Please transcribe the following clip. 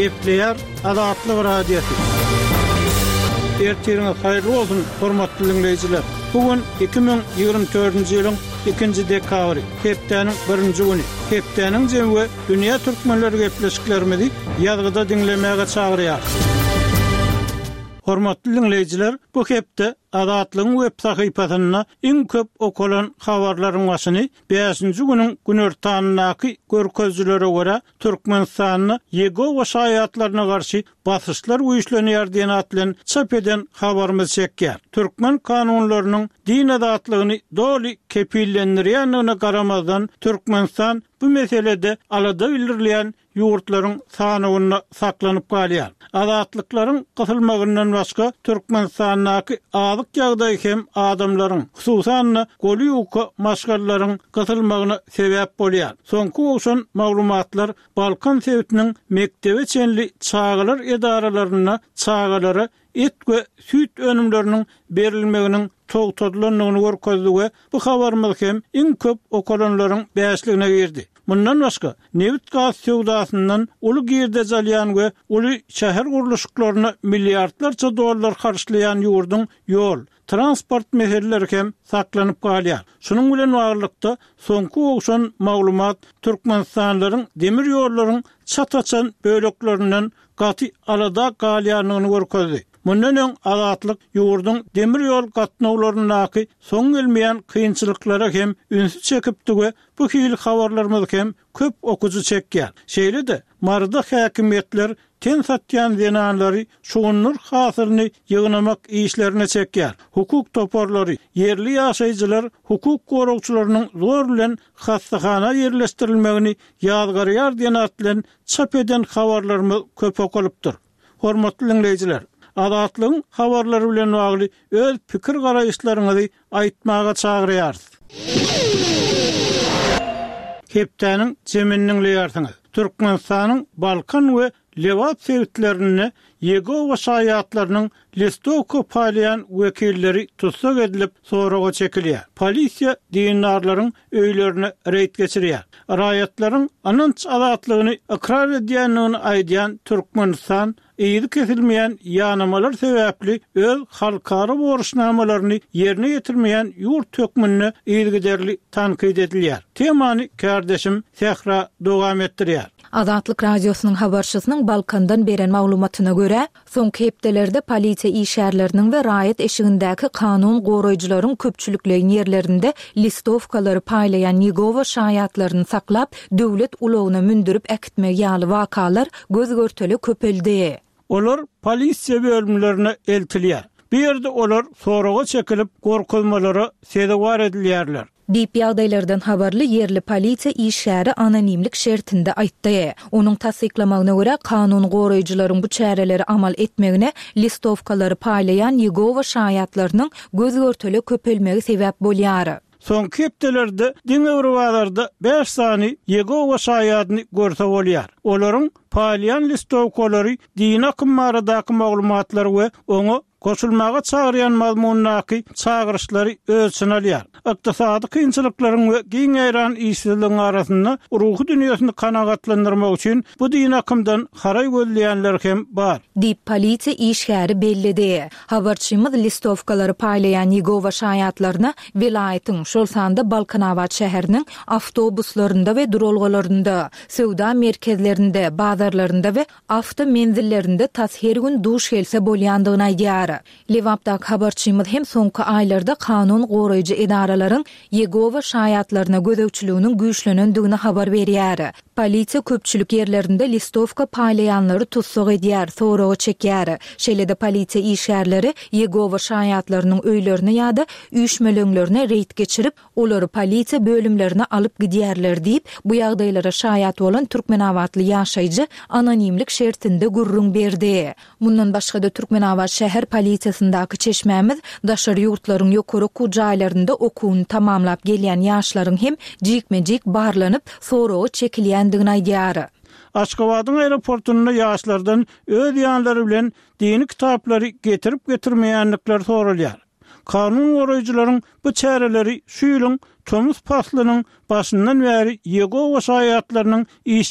Gepleýär Azatlyk Radiosy. Ertiriňiz haýyrly bolsun, hormatly diňleýjiler! Bu gün 2024-nji ýylyň ikinji dekabry, hepdäniň birinji güni. Hepdäniň jemi we dünýä türkmenleri gepleşiklerimizi ýazgyda diňlemäge çagyrýarys. Hormatly diňleýjiler, bu hepde Azatlygyň web sahypasynda iň köp okalan habarlaryň başyny bäşinji günüň günortanyndaky görkezijilere görä, Türkmenistanda Ýegowa şaýatlaryna garşy basyşlar güýçlenýär diýen at bilen çap eden habarymyz çekýär. Türkmen kanunlarynyň din azatlygyny doly kepillendirýändigine garamazdan, Türkmenistan bu meselede alada bildirilýän ýurtlaryň sanawynda saklanyp galýar. Azatlyklaryň gysylmagyndan başga, Türkmenistandaky azyk ýagdaýy hem adamlaryň, hususan-da, goly ýuka maşgalalaryň gysylmagyna sebäp bolýar. Soňky gowşan maglumatlar Balkan sebitiniň mekdebe çenli çagalar edaralarynda çagalara et we süýt önümleriniň berilmeginiň togtadylandygyny görkezdi we bu habarymyz hem iň köp okalanlaryň bäşligine girdi. Mundan başga, nebit-gaz söwdasyndan uly girdeji alýan we uly şäher gurluşyklaryna milliardlarça dollar harçlaýan ýurduň ýol, transport meseleleri hem saklanyp galýar. Şunuň bilen baglylykda, soňky gowşan maglumat türkmenistanlylaryň demir ýollaryň çat açan böleklerinden gaty alada galýandygyny görkezdi. Mundan öň Azatlyk ýurduň demir ýol gatnawlaryndaky soň gelmeýän kynçylyklara hem ünsi çekipdi we bu hili habarlarymyz hem köp okyjy çekýär. Şeýle-de, Maryda häkimiýetler ten satýan zenanlary şugundyr hasylyny ýygnamak işlerine çekýär. Hukuk toparlary, ýerli ýaşaýjylar hukuk goragçylarynyň zor bilen hassahana ýerleşdirilmegini ýazgarýar diýen at bilen çap eden habarlarymyz köp okalypdyr. Hormatly diňleýjiler, Azatlygyň habarlary bilen bagly öz pikir-garaýyşlaryňyzy aýtmaga çagyrýarys. Hepdäniň jemini diňleýärsiňiz. Türkmenistanyň Balkan we Lebap sebitlerinde Ýegowa şaýatlarynyň listowka paýlaýan wekilleri tussag edilip, soraga çekilýär. Polisiýa dindarlaryň öýlerine reýd geçirýär. Raýatlaryň ynanç azatlygyny ykrar edýändigini aýdýan Türkmenistan yzy kesilmeýän ýanamalar sebäpli öz halkara borçnamalaryny ýerine ýetirmeýän ýurt hökmünde yzygiderli tankyt edilýär. Temany kärdeşim Sähra dowam etdirýär. Azatlyk Radiosynyň habarçysynyň Balkandan beren maglumatyna görä, soňky hepdelerde polisiýa işgärleriniň we raýat eşigindäki kanun goraýjylaryň köpçülikleýin ýerlerinde listowkalary paýlaýan Ýegowa şaýatlaryny saklap, döwlet ulagyna mündürip äkitmegi ýaly wakalar göz-görtele köpeldi. Olar polisiýa bölümlerine eltilýär. Bu ýerde olar soraga çekilip, gorkuzmalara sezewar edilýärler. Diýip, ýagdaýlardan habarly ýerli polisiýa işgäri anonimlik şertinde aýtdy. Onuň tassyklamagyna görä, kanun goraýjylaryň bu çäreleri amal etmegine listowkalary paýlaýan Ýegowa şaýatlarynyň göz-görtele köpelmegi sebäp bolýar. Soňky hepdelerde diňe bir bazarda bäş sany Ýegowa şaýadyny görse bolýar. Olaryň paýlaýan listowkalary dini akym baradaky maglumatlary we oňa goşulmaga çagyrýan mazmundaky çagyryşlary öz içine alýar. Ykdysady kynçylyklaryň we giň ýaýran işsizligiň arasynda ruhy dünýesini kanagatlandyrmak üçin bu dini akymdan haraý gözleýänler hem bar. Diýip, polisiýa işgäri belledi. Habarçymyz listowkalary paýlaýan Ýegowa şaýatlaryna welaýatyň, şol sanda Balkanabat şäheriniň awtobuslarynda we duralgalarynda, söwda merkezlerinde, bazarlarynda we awto menzillerinde tas her gün duş gelse bolýandygyny aýdýar. Lebapdaky habarçymyz hem soňky aýlarda kanun goraýjy edaralaryň Ýegowa şaýatlaryna gözegçiliginiň güýçlenendigini habar berýär. Polisiýa köpçülik ýerlerinde listowka paýlaýanlary tussag edýär, soraga çekýär. Şeýle-de polisiýa işgärleri Ýegowa şaýatlarynyň öýlerine ýa-da üýşmeleňlerine reýd geçirip, olary polisiýa bölümlerine alyp gidýärler diýip, bu ýagdaýlara şaýat bolan türkmenabatly ýaşaýjy anonimlik şertinde gürrüň berdi. Mundan başga-da Türkmenabat şäher polisiýasyndaky çeşmämiz daşary ýurtlaryň ýokary okuw jaýlarynda okuwyny tamamlap gelýän ýaşlaryň hem jikme-jik barlanyp, soraga çekilýändigini aýdýar. Aşgabadyň aeroportunda ýaşlardan öz ýanlary bilen dini kitaplary getirip-getirmeýändikleri soralýar. Kanun goraýjylaryň bu çäreleri şu ýylyň tomus paslynyň başyndan bäri Ýegowa şaýatlarynyň iş.